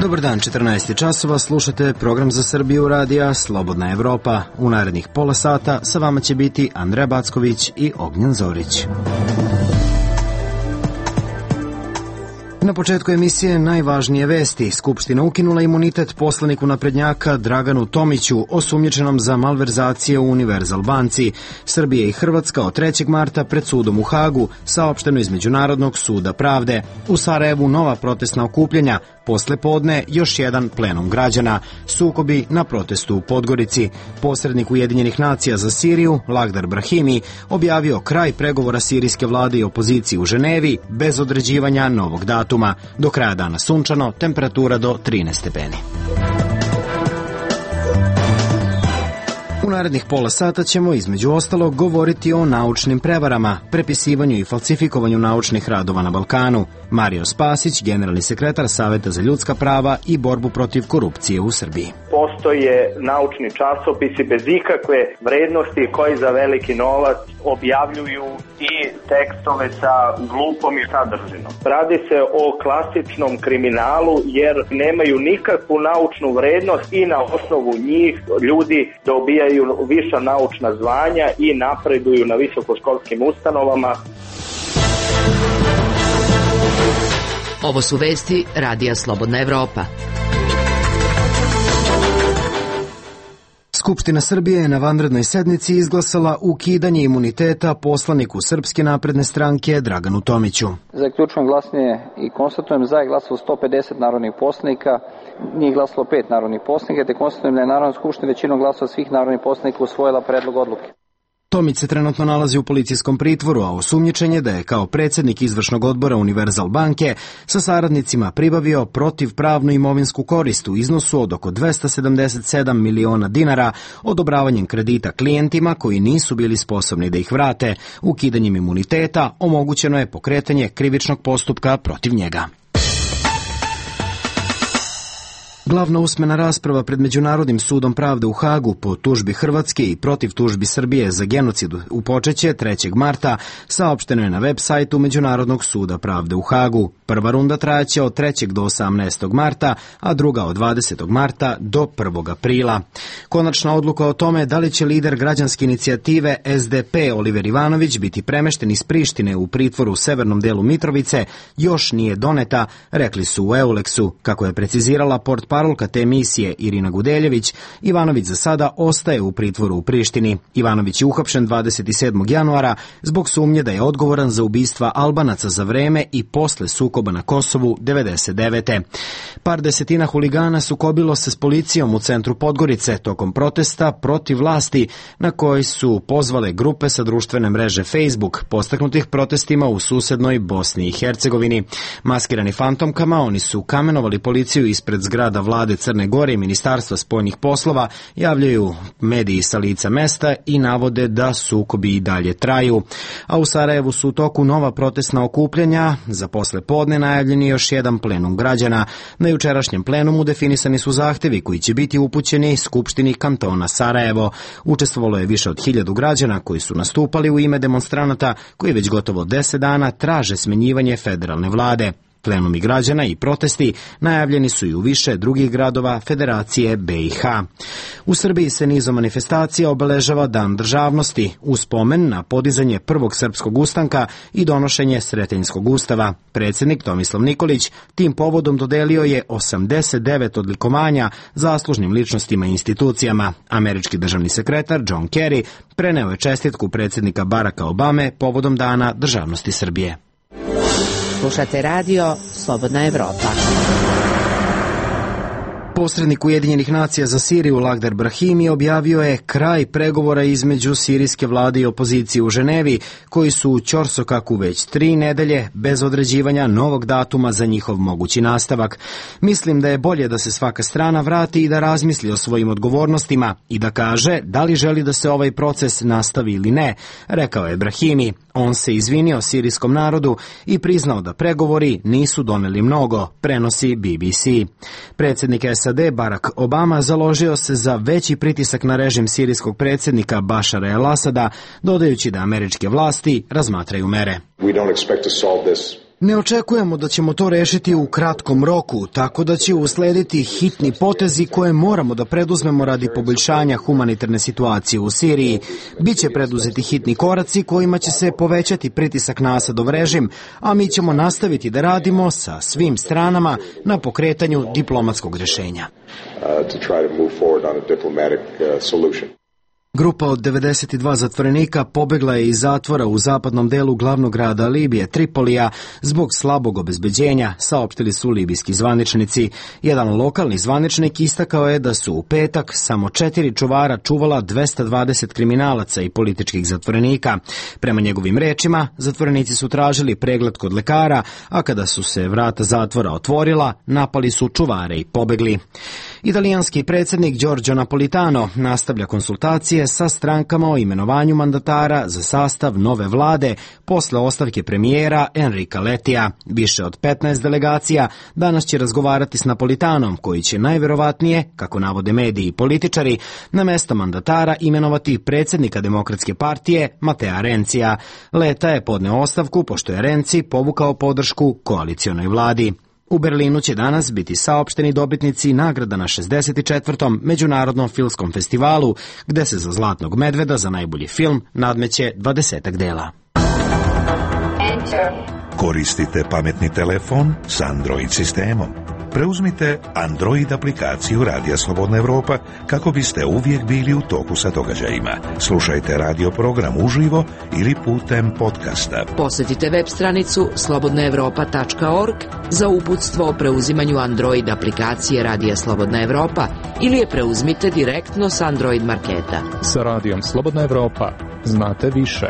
Dobar dan, 14 časova, slušate program za Srbiju radija Slobodna Evropa. U narednih pola sata sa vama će biti Andreja Backović i Ognjen Zorić. Na početku emisije najvažnije vesti. Skupština ukinula imunitet poslaniku naprednjaka Draganu Tomiću, osumnjičenom za malverzacije u Univerzal banci. Srbija i Hrvatska od 3. marta pred sudom u Hagu, saopšteno iz Međunarodnog suda pravde. U Sarajevu nova protestna okupljanja, posle podne još jedan plenum građana. Sukobi na protestu u Podgorici. Posrednik Ujedinjenih nacija za Siriju, Lakhdar Brahimi, objavio kraj pregovora sirijske vlade i opozicije u Ženevi bez određivanja novog datuma. Do kraja dana sunčano, temperatura do 13 stepeni. U narednih pola sata ćemo između ostalog govoriti o naučnim prevarama, prepisivanju i falsifikovanju naučnih radova na Balkanu. Mario Spasić, generalni sekretar Saveta za ljudska prava i borbu protiv korupcije u Srbiji. Postoje naučni časopisi bez ikakve vrednosti koji za veliki novac objavljuju i tekstove sa glupom i sadržinom. Radi se o klasičnom kriminalu jer nemaju nikakvu naučnu vrednost i na osnovu njih ljudi dobijaju viša naučna zvanja i napreduju na visokoškolskim ustanovama. Ovo su vesti Radija Slobodna Evropa. Skupština Srbije je na vanrednoj sednici izglasala ukidanje imuniteta poslaniku Srpske napredne stranke Draganu Tomiću. Zaključujem glasanje i konstatujem za je glasalo 150 narodnih poslanika, nije glasalo 5 narodnih poslanika, te konstatujem da je Narodna skupština većinom glasova svih narodnih poslanika usvojila predlog odluke. Tomić se trenutno nalazi u policijskom pritvoru, a osumnjičen je da je kao predsjednik izvršnog odbora Univerzal banke sa saradnicima pribavio protivpravnu imovinsku korist u iznosu od oko 277 miliona dinara odobravanjem kredita klijentima koji nisu bili sposobni da ih vrate. Ukidanjem imuniteta omogućeno je pokretanje krivičnog postupka protiv njega. Glavna usmena rasprava pred Međunarodnim sudom pravde u Hagu po tužbi Hrvatske i protiv tužbi Srbije za genocid upočeće 3. marta, saopšteno je na web sajtu Međunarodnog suda pravde u Hagu. Prva runda trajaće od 3. do 18. marta, a druga od 20. marta do 1. aprila. Konačna odluka o tome da li će lider građanske inicijative SDP Oliver Ivanović biti premešten iz Prištine u pritvor u severnom delu Mitrovice još nije doneta, rekli su u Euleksu. Kako je precizirala portparolka te emisije Irina Gudeljević, Ivanović za sada ostaje u pritvoru u Prištini. Ivanović je uhapšen 27. januara zbog sumnje da je odgovoran za ubistva Albanaca za vreme i posle sukoba na Kosovu 99. Par desetina huligana sukobilo se s policijom u centru Podgorice tokom protesta protiv vlasti na koji su pozvale grupe sa društvene mreže Facebook, podstaknutih protestima u susednoj Bosni i Hercegovini. Maskirani fantomkama, oni su kamenovali policiju ispred zgrada vlade Crne Gore i Ministarstva spoljnih poslova, javljaju mediji sa lica mesta i navode da sukobi i dalje traju. A u Sarajevu su u toku nova protestna okupljanja, za posle podne najavljeni još jedan plenum građana. Na jučerašnjem plenumu definisani su zahtevi koji će biti upućeni Skupštini kantona Sarajevo. Učestvovalo je više od 1000 građana koji su nastupali u ime demonstranata koji već gotovo 10 dana traže smenjivanje federalne vlade. Plenumi građana i protesti najavljeni su i u više drugih gradova Federacije BiH. U Srbiji se nizom manifestacija obeležava Dan državnosti, u spomen na podizanje prvog srpskog ustanka i donošenje Sretenjskog ustava. Predsjednik Tomislav Nikolić tim povodom dodelio je 89 odlikovanja zaslužnim ličnostima i institucijama. Američki državni sekretar John Kerry preneo je čestitku predsjednika Baracka Obame povodom Dana državnosti Srbije. Slušate radio Slobodna Evropa. Posrednik Ujedinjenih nacija za Siriju Lakhdar Brahimi objavio je kraj pregovora između sirijske vlade i opozicije u Ženevi, koji su u ćorsokaku već 3 nedelje bez određivanja novog datuma za njihov mogući nastavak. Mislim da je bolje da se svaka strana vrati i da razmisli o svojim odgovornostima i da kaže da li želi da se ovaj proces nastavi ili ne, rekao je Brahimi. On se izvinio sirijskom narodu i priznao da pregovori nisu doneli mnogo, prenosi BBC. Predsjednik SAD Barack Obama založio se za veći pritisak na režim sirijskog predsjednika Bašara el-Asada, dodajući da američke vlasti razmatraju mere. Ne očekujemo da ćemo to rešiti u kratkom roku, tako da će uslediti hitni potezi koje moramo da preduzmemo radi poboljšanja humanitarne situacije u Siriji. Biće preduzeti hitni koraci kojima će se povećati pritisak na Asadov režim, a mi ćemo nastaviti da radimo sa svim stranama na pokretanju diplomatskog rešenja. Grupa od 92 zatvorenika pobegla je iz zatvora u zapadnom delu glavnog grada Libije, Tripolija, zbog slabog obezbeđenja, saopštili su libijski zvaničnici. Jedan lokalni zvaničnik istakao je da su u petak samo 4 čuvara čuvala 220 kriminalaca i političkih zatvorenika. Prema njegovim rečima, zatvorenici su tražili pregled kod lekara, a kada su se vrata zatvora otvorila, napali su čuvare i pobegli. Italijanski predsjednik Giorgio Napolitano nastavlja konsultacije sa strankama o imenovanju mandatara za sastav nove vlade posle ostavke premijera Enrika Lettija. Više od 15 delegacija danas će razgovarati s Napolitanom, koji će najverovatnije, kako navode mediji i političari, na mesto mandatara imenovati predsjednika Demokratske partije Matea Renzija. Letta je podneo ostavku pošto je Renzi povukao podršku koalicionoj vladi. U Berlinu će danas biti saopšteni dobitnici nagrada na 64. Međunarodnom filmskom festivalu, gde se za Zlatnog medveda za najbolji film nadmeće 20 dela. Koristite pametni telefon s Android sistemom. Preuzmite Android aplikaciju Radija Slobodna Evropa kako biste uvijek bili u toku sa događajima. Slušajte radio program uživo ili putem podcasta. Posjetite web stranicu slobodnaevropa.org za uputstvo o preuzimanju Android aplikacije Radija Slobodna Evropa ili je preuzmite direktno s Android marketa. Sa Radijom Slobodna Evropa znate više.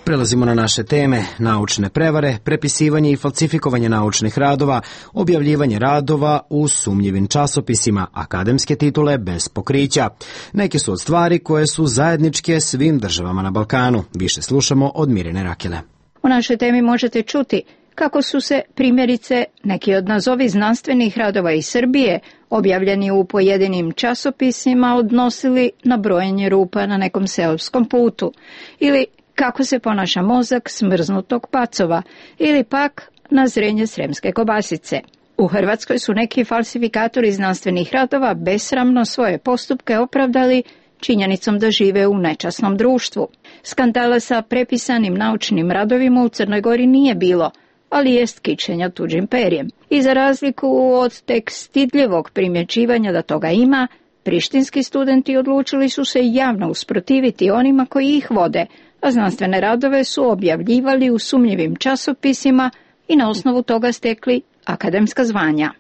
Prelazimo na naše teme: naučne prevare, prepisivanje i falsifikovanje naučnih radova, objavljivanje radova u sumnjivim časopisima, akademske titule bez pokrića. Neke su od stvari koje su zajedničke svim državama na Balkanu. Više slušamo od Mirjane Rakele. U našoj temi možete čuti kako su se, primjerice, neki od nazovi znanstvenih radova iz Srbije, objavljeni u pojedinim časopisima, odnosili na brojenje rupa na nekom seoskom putu, ili kako se ponaša mozak smrznutog pacova, ili pak na zrenje sremske kobasice. U Hrvatskoj su neki falsifikatori znanstvenih radova besramno svoje postupke opravdali činjenicom da žive u nečasnom društvu. Skandala sa prepisanim naučnim radovima u Crnoj Gori nije bilo, ali jest kičenja tuđim perjem. I za razliku od tek stidljivog primjećivanja da toga ima, prištinski studenti odlučili su se javno usprotiviti onima koji ih vode, a znanstvene radove su objavljivali u sumnjivim časopisima i na osnovu toga stekli akademska zvanja.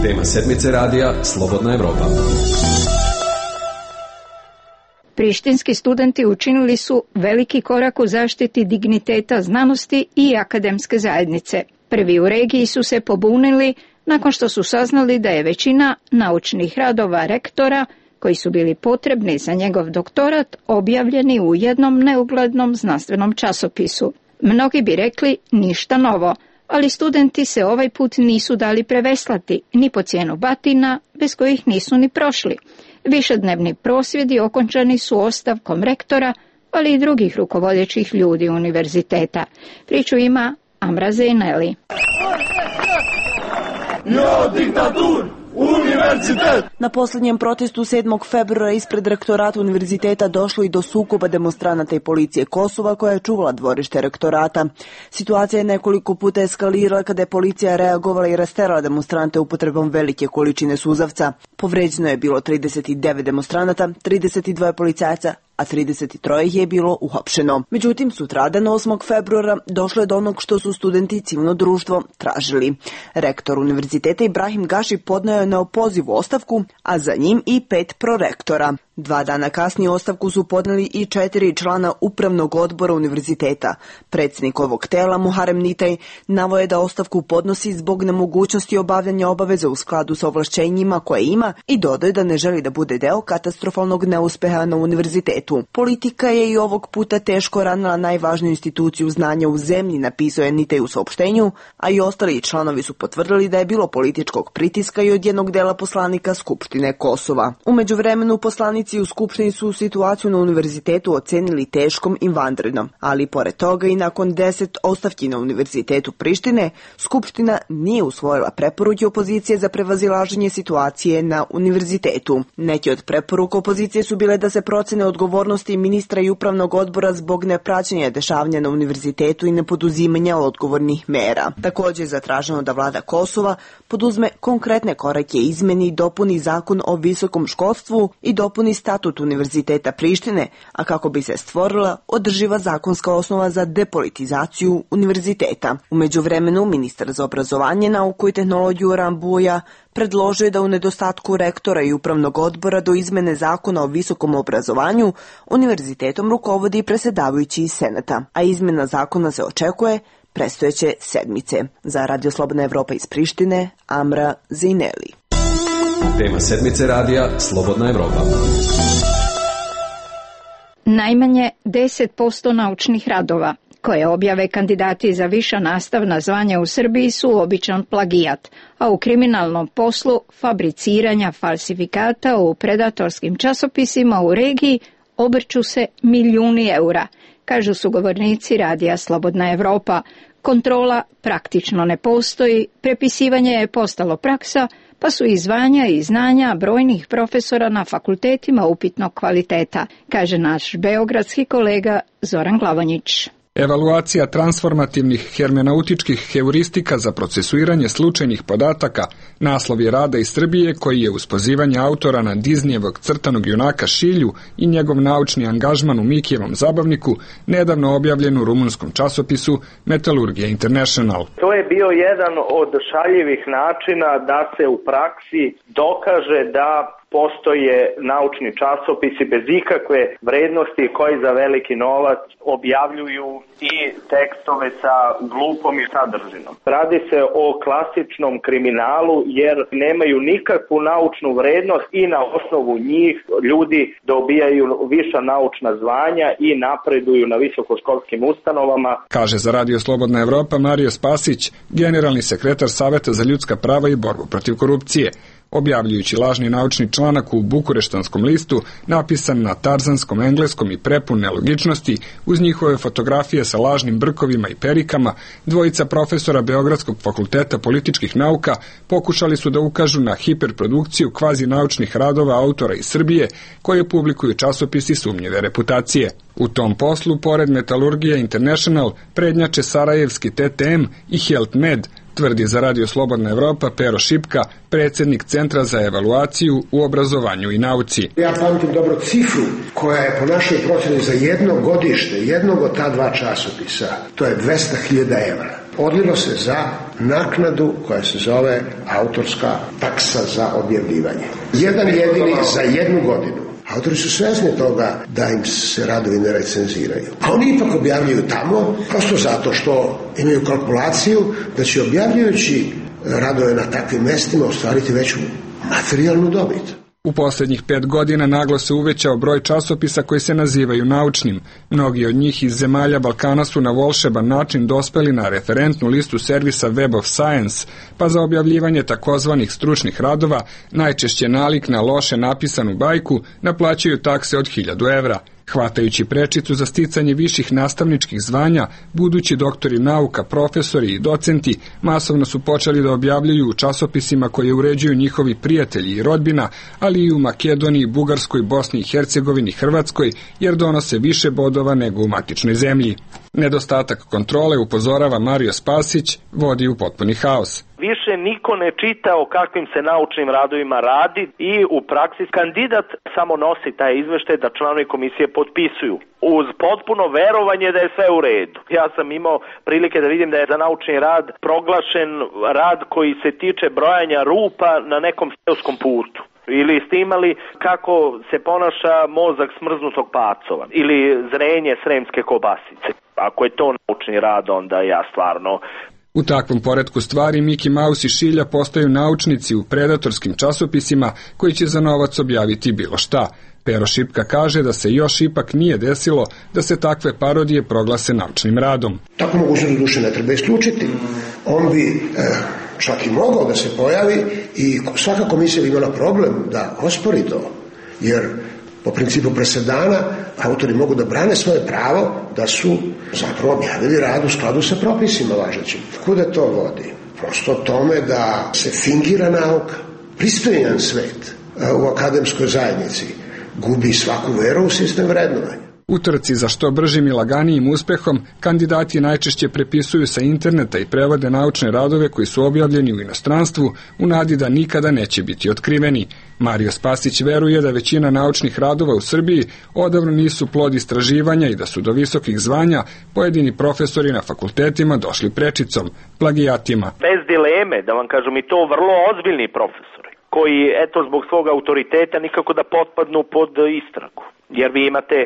Tema sedmice radija Slobodna Evropa. Prištinski studenti učinili su veliki korak u zaštiti digniteta znanosti i akademske zajednice. Prvi u regiji su se pobunili nakon što su saznali da je većina naučnih radova rektora, koji su bili potrebni za njegov doktorat, objavljeni u jednom neuglednom znanstvenom časopisu. Mnogi bi rekli ništa novo, ali studenti se ovaj put nisu dali preveslati, ni po cijenu batina, bez kojih nisu ni prošli. Višednevni prosvjedi okončani su ostavkom rektora, ali i drugih rukovodećih ljudi univerziteta. Priču ima Amra Zeyneli. Ja, diktatur! Univerzitet! Na posljednjem protestu 7. februara ispred rektorata univerziteta došlo i do sukoba demonstranata i policije Kosova koja je čuvala dvorište rektorata. Situacija je nekoliko puta eskalirala kada je policija reagovala i rasterala demonstrante upotrebom velike količine suzavca. Povređeno je bilo 39 demonstranata, 32 policajaca, a 33 ih je bilo uhapšeno. Međutim, sutradan 8. februara došlo je do onog što su studenti i civilno društvo tražili. Rektor univerziteta Ibrahim Gaši podneo je neopozivu ostavku, a za njim i 5 prorektora. 2 dana kasnije ostavku su podneli i 4 člana upravnog odbora univerziteta. Predsjednik ovog tela, Muharem Nitaj, naveo je da ostavku podnosi zbog nemogućnosti obavljanja obaveza u skladu sa ovlašćenjima koje ima i dodao da ne želi da bude deo katastrofalnog neuspeha na univerzitetu. Politika je i ovog puta teško ranila najvažniju instituciju znanja u zemlji, napisao je Nitaj u saopštenju, a i ostali članovi su potvrdili da je bilo političkog pritiska i od jednog dela poslanika Skupštine Kosova. U međuvremenu poslanici poslanici u Skupštini su situaciju na univerzitetu ocenili teškom i vanrednom, ali pored toga i nakon 10 ostavki na univerzitetu Prištine, Skupština nije usvojila preporuke opozicije za prevazilaženje situacije na univerzitetu. Neki od preporuka opozicije su bile da se procene odgovornosti ministra i upravnog odbora zbog nepraćenja dešavanja na univerzitetu i nepoduzimanja odgovornih mera. Takođe je zatraženo da vlada Kosova poduzme konkretne korake, izmeni i dopuni zakon o visokom školstvu i dopuni statut Univerziteta Prištine, a kako bi se stvorila održiva zakonska osnova za depolitizaciju univerziteta. U međuvremenu, ministar za obrazovanje, nauku i tehnologiju Rambuja predložio je da u nedostatku rektora i upravnog odbora do izmene zakona o visokom obrazovanju univerzitetom rukovodi presedavajući iz Senata, a izmena zakona se očekuje predstojeće sedmice. Za Radio Slobodna Evropa iz Prištine, Amra Zejneli. Tema sedmice radija Slobodna Evropa. Najmanje 10% naučnih radova koje objave kandidati za viša nastavna zvanja u Srbiji su običan plagijat, a u kriminalnom poslu fabriciranja falsifikata u predatorskim časopisima u regiji obrću se milijuni eura, kažu sugovornici Radija Slobodna Evropa. Kontrola praktično ne postoji, prepisivanje je postalo praksa, pa su i zvanja i znanja brojnih profesora na fakultetima upitnog kvaliteta, kaže naš beogradski kolega Zoran Glavonjić. Evaluacija transformativnih hermeneutičkih heuristika za procesuiranje slučajnih podataka naslov je rada iz Srbije koji je uz pozivanje autora na Disneyevog crtanog junaka Šilju i njegov naučni angažman u Mikijevom zabavniku nedavno objavljen u rumunskom časopisu Metalurgija International. To je bio jedan od šaljivih načina da se u praksi dokaže da postoje naučni časopisi bez ikakve vrednosti koji za veliki novac objavljuju i tekstove sa glupom i sadržinom. Radi se o klasičnom kriminalu jer nemaju nikakvu naučnu vrednost i na osnovu njih ljudi dobijaju viša naučna zvanja i napreduju na visokoškolskim ustanovama. Kaže za Radio Slobodna Evropa Mario Spasić, generalni sekretar Saveta za ljudska prava i borbu protiv korupcije. Objavljujući lažni naučni članak u bukureštanskom listu, napisan na tarzanskom engleskom i prepun nelogičnosti, uz njihove fotografije sa lažnim brkovima i perikama, dvojica profesora Beogradskog fakulteta političkih nauka pokušali su da ukažu na hiperprodukciju kvazi naučnih radova autora iz Srbije, koje publikuju časopisi sumnjive reputacije. U tom poslu, pored Metalurgija International, prednjače sarajevski TTM i Health Med, tvrdi za Radio Slobodna Evropa Pero Šipka, predsjednik Centra za evaluaciju u obrazovanju i nauci. Ja pamtim dobro cifru koja je po našoj procjeni za jedno godište, jednog od ta dva časopisa, to je 200.000 evra. Odlilo se za naknadu koja se zove autorska taksa za objavljivanje. Jedan jedini za jednu godinu. Autori su svesni toga da im se radovi ne recenziraju. A oni ipak objavljuju tamo, prosto zato što imaju kalkulaciju da će objavljujući radove na takvim mestima ostvariti veću materijalnu dobit. U posljednjih 5 godina naglo se uvećao broj časopisa koji se nazivaju naučnim. Mnogi od njih iz zemalja Balkana su na volšeban način dospeli na referentnu listu servisa Web of Science, pa za objavljivanje takozvanih stručnih radova, najčešće nalik na loše napisanu bajku, naplaćaju takse od 1000 evra. Hvatajući prečicu za sticanje viših nastavničkih zvanja, budući doktori nauka, profesori i docenti masovno su počeli da objavljuju u časopisima koje uređuju njihovi prijatelji i rodbina, ali i u Makedoniji, Bugarskoj, Bosni i Hercegovini, Hrvatskoj, jer donose više bodova nego u matičnoj zemlji. Nedostatak kontrole, upozorava Mario Spasić, vodi u potpuni haos. Više niko ne čita o kakvim se naučnim radovima radi i u praksi kandidat samo nosi taj izveštaj da članovi komisije potpisuju uz potpuno verovanje da je sve u redu. Ja sam imao prilike da vidim da je za naučni rad proglašen rad koji se tiče brojanja rupa na nekom seoskom putu. Ili ste imali kako se ponaša mozak smrznutog pacova ili zrenje sremske kobasice. Ako je to naučni rad, onda ja stvarno... U takvom poretku stvari Miki Mouse i Šilja postaju naučnici u predatorskim časopisima koji će za novac objaviti bilo šta. Pero Šipka kaže da se još ipak nije desilo da se takve parodije proglase naučnim radom. Tako mogućnost duše ne treba isključiti. On bi čak i mogao da se pojavi i svaka komisija bi imala problem da ospori to. Jer Po principu presedana autori mogu da brane svoje pravo da su zapravo objavili rad u skladu sa propisima važećim. Kuda to vodi? Prosto tome da se fingira nauka. Pristojan svet u akademskoj zajednici gubi svaku veru u sistem vrednovanja. U trci za što bržim i laganijim uspehom, kandidati najčešće prepisuju sa interneta i prevode naučne radove koji su objavljeni u inostranstvu u nadi da nikada neće biti otkriveni. Mario Spasić veruje da većina naučnih radova u Srbiji odavno nisu plod istraživanja i da su do visokih zvanja pojedini profesori na fakultetima došli prečicom, plagijatima. Bez dileme, da vam kažem, i to vrlo ozbiljni profesori, koji, zbog svog autoriteta nikako da potpadnu pod istragu. Jer vi imate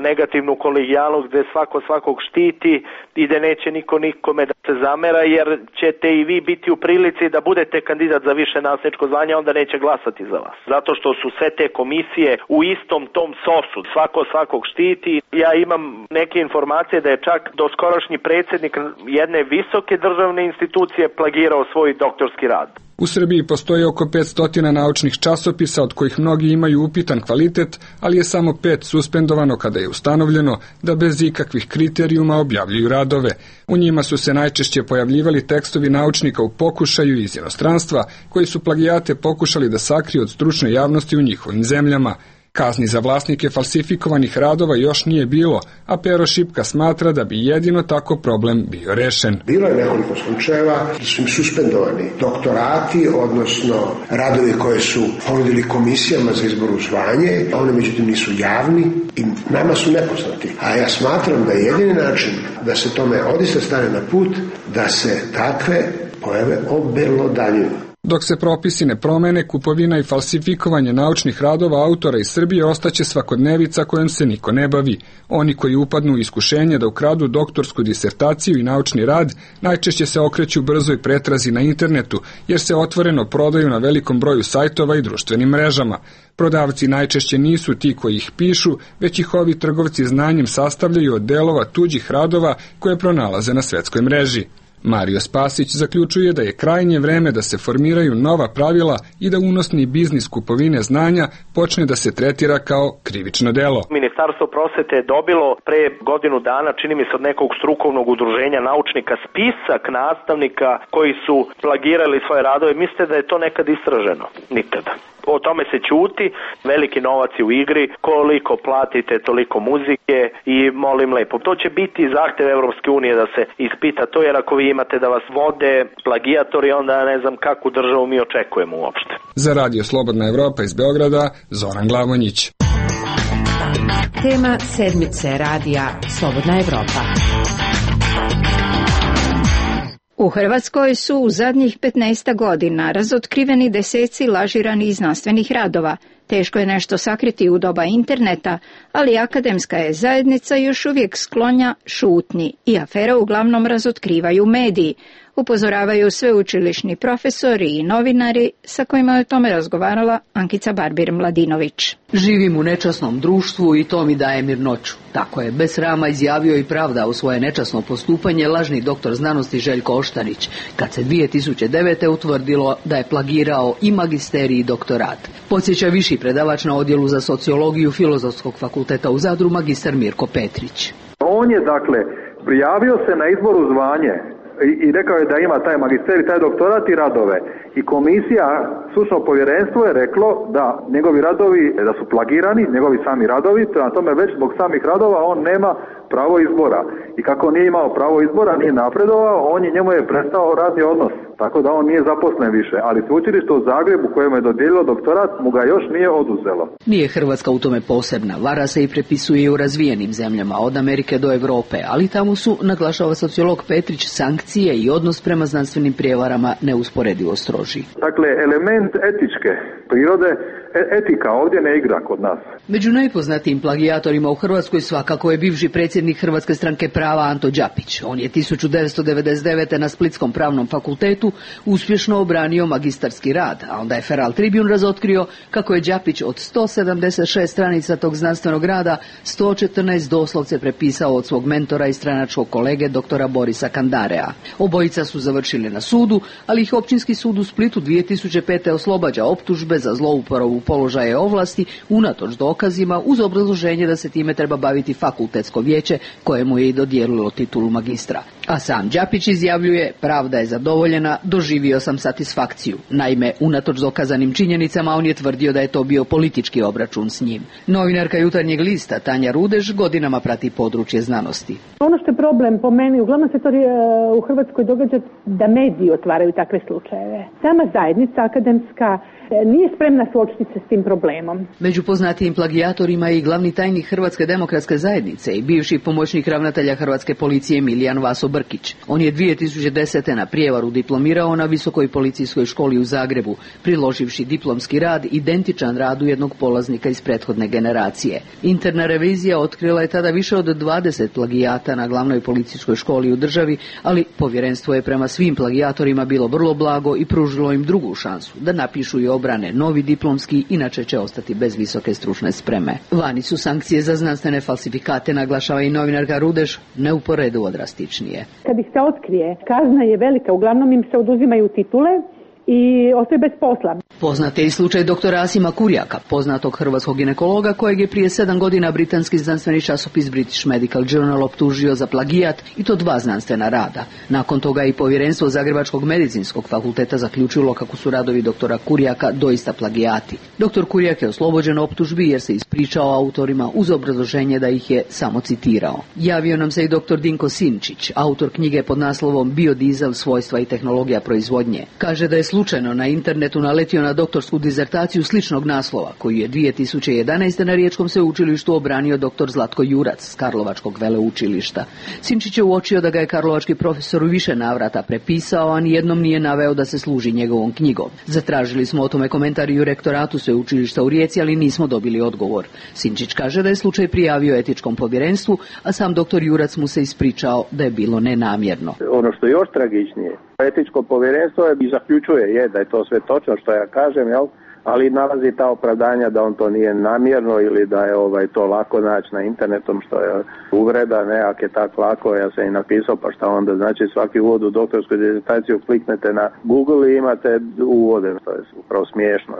negativnu kolegijalnost gde svako svakog štiti i da neće niko nikome da se zamera, jer ćete i vi biti u prilici da budete kandidat za više nastavničko zvanje, onda neće glasati za vas. Zato što su sve te komisije u istom tom sosu, svako svakog štiti. Ja imam neke informacije da je čak doskorašnji predsjednik jedne visoke državne institucije plagirao svoj doktorski rad. U Srbiji postoji oko 500 naučnih časopisa, od kojih mnogi imaju upitan kvalitet, ali je samo 5 suspendovano kada je ustanovljeno da bez ikakvih kriterijuma objavljuju radove. U njima su se najčešće pojavljivali tekstovi naučnika u pokušaju iz inostranstva, koji su plagijate pokušali da sakriju od stručne javnosti u njihovim zemljama. Kazni za vlasnike falsifikovanih radova još nije bilo, a Pero Šipka smatra da bi jedino tako problem bio rešen. Bilo je nekoliko slučajeva da su im suspendovani doktorati, odnosno radovi koje su ponudili komisijama za izbor u zvanje, a one međutim nisu javni i nama su nepoznati. A ja smatram da je jedini način da se tome odista stane na put, da se takve pojave obelodaljuju. Dok se propisi ne promene, kupovina i falsifikovanje naučnih radova autora iz Srbije ostaće svakodnevica kojom se niko ne bavi. Oni koji upadnu u iskušenje da ukradu doktorsku disertaciju i naučni rad najčešće se okreću brzoj pretrazi na internetu, jer se otvoreno prodaju na velikom broju sajtova i društvenim mrežama. Prodavci najčešće nisu ti koji ih pišu, već ih ovi trgovci znanjem sastavljaju od delova tuđih radova koje pronalaze na svetskoj mreži. Mario Spasić zaključuje da je krajnje vreme da se formiraju nova pravila i da unosni biznis kupovine znanja počne da se tretira kao krivično delo. Ministarstvo prosvete je dobilo pre godinu dana, čini mi se od nekog strukovnog udruženja naučnika, spisak nastavnika koji su plagirali svoje radove. Mislite da je to nekad istraženo? Nikada. O tome se ćuti, veliki novac je u igri, koliko platite toliko muzike i molim lepo. To će biti zahtev Evropske unije da se ispita to, jer ako vi imate da vas vode plagijatori, onda ne znam kakvu državu mi očekujemo uopšte. Za Radio Slobodna Evropa iz Beograda, Zoran Glavonjić. Tema sedmice radija Slobodna Evropa. U Hrvatskoj su u zadnjih 15 godina razotkriveni deseci lažiranih znanstvenih radova. Teško je nešto sakriti u doba interneta, ali akademska je zajednica još uvijek sklonja šutnji i afere uglavnom razotkrivaju mediji, upozoravaju sveučilišni profesori i novinari sa kojima je o tome razgovarala Ankica Barbir-Mladinović. Živim u nečasnom društvu i to mi daje mirnoću. Tako je bez srama izjavio i pravdao svoje nečasno postupanje lažni doktor znanosti Željko Oštarić, kad se 2009. utvrdilo da je plagirao i magisterij i doktorat. Podsjeća viši predavač na odjelu za sociologiju Filozofskog fakulteta u Zadru, magistar Mirko Petrić. On je prijavio se na izbor u zvanje i rekao je da ima taj magisterij, taj doktorat i radove. I komisija, stručno povjerenstvo je reklo da njegovi radovi, da su plagirani, njegovi sami radovi, prema tome već zbog samih radova on nema pravo izbora. I kako nije imao pravo izbora, nije napredovao, njemu je prestao radni odnos. Tako da on nije zaposlen više, ali sveučilište u Zagrebu kojemu je dodijelilo doktorat mu ga još nije oduzelo. Nije Hrvatska u tome posebna, vara se i prepisuje i u razvijenim zemljama, od Amerike do Europe, ali tamo su, naglašava sociolog Petrić, sankcije i odnos prema znanstvenim prijevarama neusporedivo stroži. Dakle, element etičke prirode, etika ovdje ne igra kod nas. Među najpoznatijim plagijatorima u Hrvatskoj svakako je bivši predsjednik Hrvatske stranke prava Anto Đapić. On je 1999. na Splitskom pravnom fakultetu uspješno obranio magistarski rad, a onda je Feral Tribune razotkrio kako je Đapić od 176 stranica tog znanstvenog rada 114 doslovce prepisao od svog mentora i stranačkog kolege doktora Borisa Kandarea. Obojica su završili na sudu, ali ih Općinski sud u Splitu 2005. oslobađa optužbe za zlouporabu položaja i ovlasti unatoč dokazu dokazima uz obrazloženje da se time treba baviti fakultetsko vijeće kojemu je i dodijelilo titulu magistra. A sam Đapić izjavljuje, pravda je zadovoljena, doživio sam satisfakciju. Naime, unatoč dokazanim činjenicama, on je tvrdio da je to bio politički obračun s njim. Novinarka Jutarnjeg lista Tanja Rudež godinama prati područje znanosti. Ono što je problem po meni, uglavnom se to u Hrvatskoj događa da mediji otvaraju takve slučajeve. Sama zajednica akademska nije spremna suočiti se s tim problemom. Među poznatijim plagijatorima je i glavni tajnik Hrvatske demokratske zajednice i bivši pomoćnik ravnatelja Hrvatske policije Milijan Vaso Brkić. On je 2010. na prijevaru diplomirao na Visokoj policijskoj školi u Zagrebu, priloživši diplomski rad identičan radu jednog polaznika iz prethodne generacije. Interna revizija otkrila je tada više od 20 plagijata na glavnoj policijskoj školi u državi, ali povjerenstvo je prema svim plagijatorima bilo vrlo blago i pružilo im drugu šansu da napišu i obrane novi diplomski, inače će ostati bez visoke stručne spreme. Vani su sankcije za znanstvene falsifikate, naglašava i novinarka Rudež, neuporedivo drastičnije. Kad ih se otkrije, kazna je velika, uglavnom im se oduzimaju titule i ostaje bez posla. Poznat je i slučaj doktora Asima Kurjaka, poznatog hrvatskog ginekologa kojeg je prije 7 godina britanski znanstveni časopis British Medical Journal optužio za plagijat i to 2 znanstvena rada. Nakon toga je i povjerenstvo Zagrebačkog medicinskog fakulteta zaključilo kako su radovi doktora Kurjaka doista plagijati. Doktor Kurjak je oslobođen optužbi jer se ispričao autorima uz obrazloženje da ih je samo citirao. Javio nam se i doktor Dinko Sinčić, autor knjige pod naslovom Biodizel, svojstva i tehnologija proizvodnje. Kaže da je slučajno na internetu naletio na doktorsku dizertaciju sličnog naslova, koju je 2011. na Riječkom sveučilištu obranio dr. Zlatko Jurac s Karlovačkog veleučilišta. Sinčić je uočio da ga je karlovački profesor u više navrata prepisao, a nijednom nije naveo da se služi njegovom knjigom. Zatražili smo o tome komentar i u rektoratu sveučilišta u Rijeci, ali nismo dobili odgovor. Sinčić kaže da je slučaj prijavio etičkom povjerenstvu, a sam dr. Jurac mu se ispričao da je bilo nenamjerno. Ono što je još tragičnije, etičko povjerenstvo i zaključuje da je to sve točno što ja kažem, ali nalazi ta opravdanja da on to nije namjerno ili da je to lako naći na internetom, što je uvreda, ako je tako lako, ja sam i napisao, pa šta onda, znači svaki uvod u doktorsku dizertaciju kliknete na Google i imate uvode, što je upravo smiješno.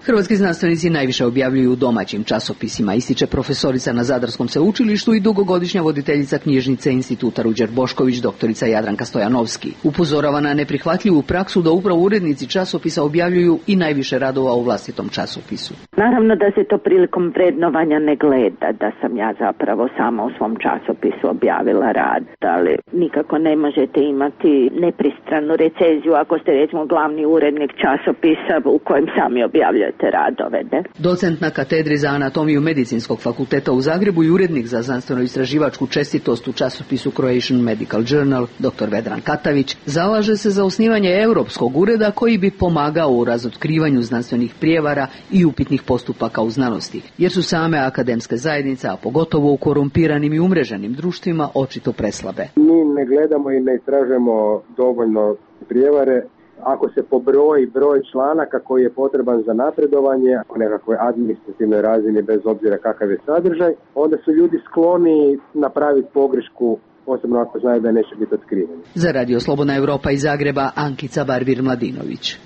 Hrvatski znanstvenici najviše objavljuju u domaćim časopisima, ističe profesorica na Zadarskom sveučilištu i dugogodišnja voditeljica knjižnice Instituta Ruđer Bošković, doktorica Jadranka Stojanovski. Upozorava na neprihvatljivu praksu da upravo urednici časopisa objavljuju i najviše radova u vlastitom časopisu. Naravno da se to prilikom vrednovanja ne gleda, da sam ja zapravo sama u svom časopisu objavila rad, ali nikako ne možete imati nepristranu recenziju ako ste recimo glavni urednik časopisa u kojem sami objavljujete radove. Docent na katedri za anatomiju Medicinskog fakulteta u Zagrebu i urednik za znanstveno-istraživačku čestitost u časopisu Croatian Medical Journal, dr. Vedran Katavić, zalaže se za osnivanje europskog ureda koji bi pomagao u razotkrivanju znanstvenih prijevara i upitnih postupaka u znanosti, jer su same akademske zajednice, a pogotovo u korumpiranim i umreženim društvima, očito preslabe. Mi ne gledamo i ne istražujemo dovoljno prijevare. Ako se pobroji broj članaka koji je potreban za napredovanje u nekakvoj administrativnoj razini bez obzira kakav je sadržaj, onda su ljudi skloni napraviti pogrešku, posebno ako znaju da neće biti otkriveni. Za Radio Slobodna Evropa iz Zagreba, Ankica Barbir-Mladinović.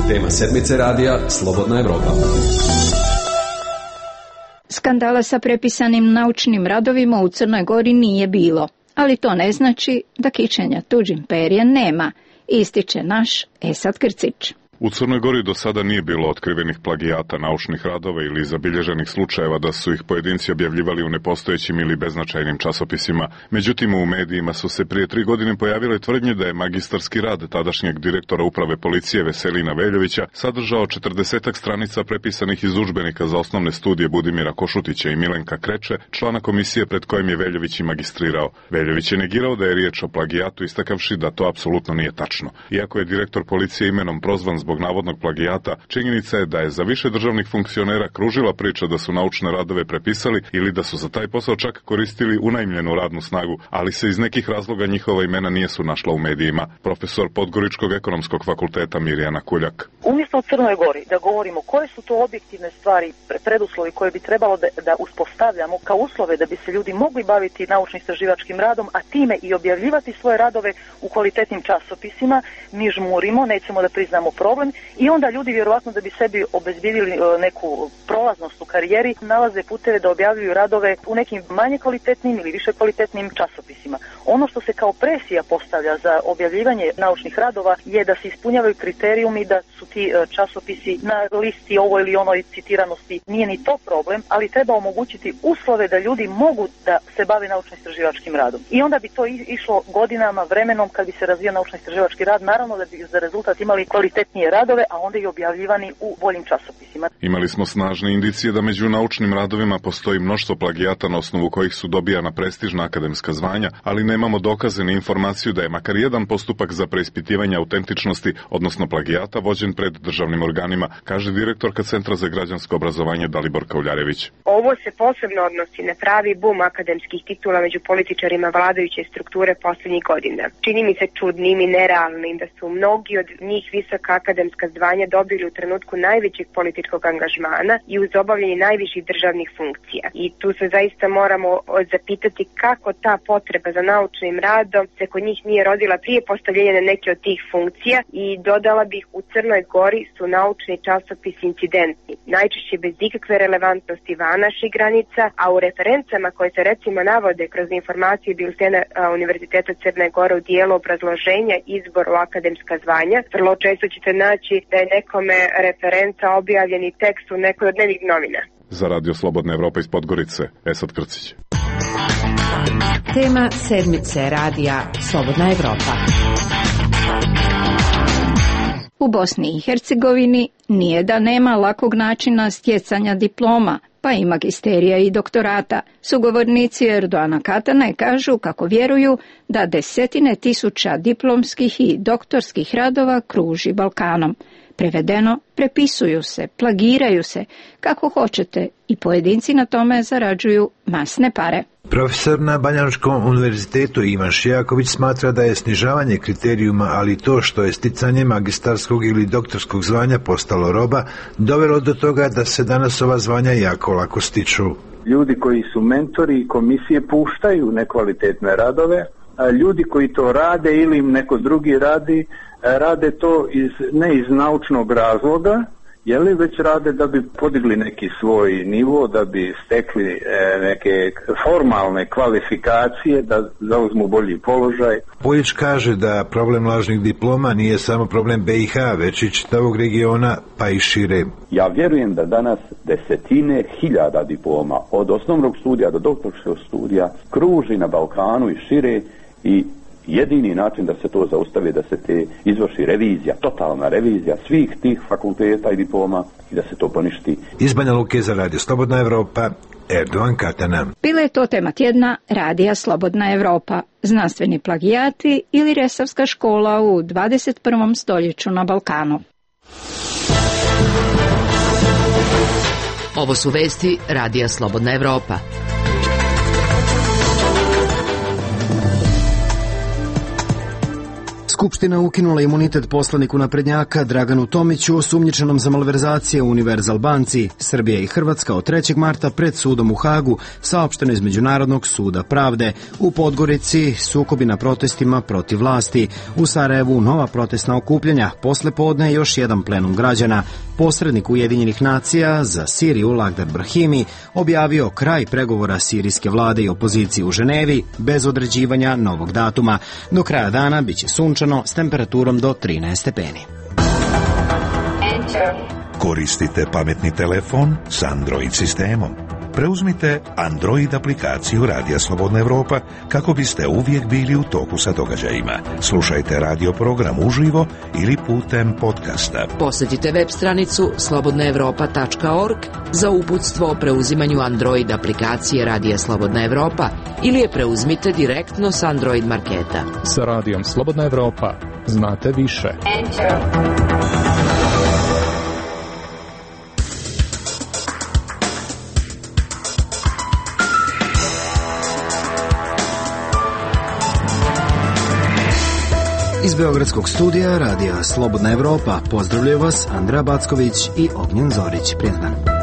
Tema sedmice radija Slobodna Evropa. Skandala sa prepisanim naučnim radovima u Crnoj Gori nije bilo, ali to ne znači da kićenja tuđim perjem nema, ističe naš Esad Krcić. U Crnoj Gori do sada nije bilo otkrivenih plagijata naučnih radova ili zabilježenih slučajeva da su ih pojedinci objavljivali u nepostojećim ili beznačajnim časopisima. Međutim, u medijima su se prije 3 godine pojavile tvrdnje da je magistarski rad tadašnjeg direktora uprave policije Veselina Veljovića sadržao 40 stranica prepisanih iz udžbenika za osnovne studije Budimira Košutića i Milenka Kreče, člana komisije pred kojim je Veljović i magistrirao. Veljović je negirao da je riječ o plagijatu, istakavši da to apsolutno nije tačno. Iako je direktor policije imenom prozvan zbog navodnog plagijata, činjenica je da je za više državnih funkcionera kružila priča da su naučne radove prepisali ili da su za taj posao čak koristili unajmljenu radnu snagu, ali se iz nekih razloga njihova imena nisu našla u medijima. Profesor Podgoričkog ekonomskog fakulteta Mirjana Kuljak. Umjesto o Crnoj Gori da govorimo koje su to objektivne stvari, preduslovi koje bi trebalo da uspostavljamo kao uslove da bi se ljudi mogli baviti naučno-istraživačkim radom, a time i objavljivati svoje radove u kvalitetnim časopisima, mi žmurimo, nećemo da priznamo problem problem i onda ljudi vjerovatno da bi sebi obezbjedili neku prolaznost u karijeri nalaze puteve da objavljuju radove u nekim manje kvalitetnim ili više kvalitetnim časopisima. Ono što se kao presija postavlja za objavljivanje naučnih radova je da se ispunjavaju kriterijumi, da su ti časopisi na listi ovoj ili onoj citiranosti. Nije ni to problem, ali treba omogućiti uslove da ljudi mogu da se bave naučno-istraživačkim radom. I onda bi to išlo godinama, vremenom kad bi se razvio naučno-istraživački rad, naravno da bi za rezultat imali kvalitetnije radove, a onda i objavljivani u boljim časopisima. Imali smo snažne indicije da među naučnim radovima postoji mnoštvo plagijata na osnovu kojih su dobijana prestižna akademska zvanja, ali nemamo dokaze ni informaciju da je makar jedan postupak za preispitivanje autentičnosti, odnosno plagijata, vođen pred državnim organima, kaže direktorka Centra za građansko obrazovanje Dalibor Kauljarević. Ovo se posebno odnosi na pravi bum akademskih titula među političarima vladajuće strukture posljednjih godina. Čini mi se čudnim i nerealnim da su mnogi od njih visoka akademska zvanja dobili u trenutku najvećeg političkog angažmana i uz obavljanje najviših državnih funkcija. I tu se zaista moramo zapitati kako ta potreba za naučnim radom se kod njih nije rodila prije postavljenja na neke od tih funkcija i dodala bih u Crnoj Gori su naučni časopisi incidentni, najčešće bez ikakve relevantnosti van naših granica, a u referencama koje se recimo navode kroz informacije biltena Univerziteta Crne Gore u dijelu obrazloženja izbora u akademska zvanja, vrlo često ćete naći da je nekome referenca objavljeni tekst u nekoj od dnevnih novina. Za Radio Slobodna Evropa iz Podgorice, Esad Krcić. Tema sedmice radija Slobodna Evropa. U Bosni i Hercegovini nije da nema lakog načina stjecanja diploma, pa i magisterija i doktorata. Sugovornici Erdoana Katane kažu kako vjeruju da desetine tisuća diplomskih i doktorskih radova kruži Balkanom. Prevedeno, prepisuju se, plagiraju se, kako hoćete, i pojedinci na tome zarađuju masne pare. Profesor na Banjalučkom univerzitetu Ivan Šijaković smatra da je snižavanje kriterijuma, ali to što je sticanje magistarskog ili doktorskog zvanja postalo roba, dovelo do toga da se danas ova zvanja jako lako stiču. Ljudi koji su mentori i komisije puštaju nekvalitetne radove, a ljudi koji to rade ili im neko drugi rade to ne iz naučnog razloga, već rade da bi podigli neki svoj nivo, da bi stekli neke formalne kvalifikacije, da zauzmu bolji položaj. Poljić kaže da problem lažnih diploma nije samo problem BiH, već i čitavog regiona, pa i šire. Ja vjerujem da danas desetine hiljada diploma, od osnovnog studija do doktorskog studija, kruži na Balkanu i šire, i jedini način da se to zaustavi, da se te izvrši revizija, totalna revizija svih tih fakulteta i diploma i da se to poništi. Iz Banja Luke za Radio Slobodna Evropa, Erdoan Katana. Bila je to tema tjedna Radija Slobodna Evropa, znanstveni plagijati ili Resavska škola u 21. stoljeću na Balkanu. Ovo su vesti Radija Slobodna Evropa. Skupština ukinula imunitet poslaniku naprednjaka Draganu Tomiću, osumnjičenom za malverzacije u Univerzal banci. Srbija i Hrvatska od 3. marta pred sudom u Hagu, saopšteno iz Međunarodnog suda pravde. U Podgorici sukobi na protestima protiv vlasti. U Sarajevu nova protestna okupljanja, posle podne još jedan plenum građana. Posrednik Ujedinjenih nacija za Siriju Lagdar Brahimi objavio kraj pregovora sirijske vlade i opozicije u Ženevi bez određivanja novog datuma. Do kraja dana biće sunčano s temperaturom do 13 stepeni. Koristite pametni telefon s Android sistemom. Preuzmite Android aplikaciju Radija Slobodna Evropa kako biste uvijek bili u toku sa događajima. Slušajte radio program uživo ili putem podcasta. Posjetite web stranicu slobodnaevropa.org za uputstvo o preuzimanju Android aplikacije Radija Slobodna Evropa ili je preuzmite direktno s Android marketa. Sa Radijom Slobodna Evropa znate više. Iz Beogradskog studija Radija Slobodna Evropa pozdravljaju vas Andreja Backović i Ognjen Zorić. Prijetan dan.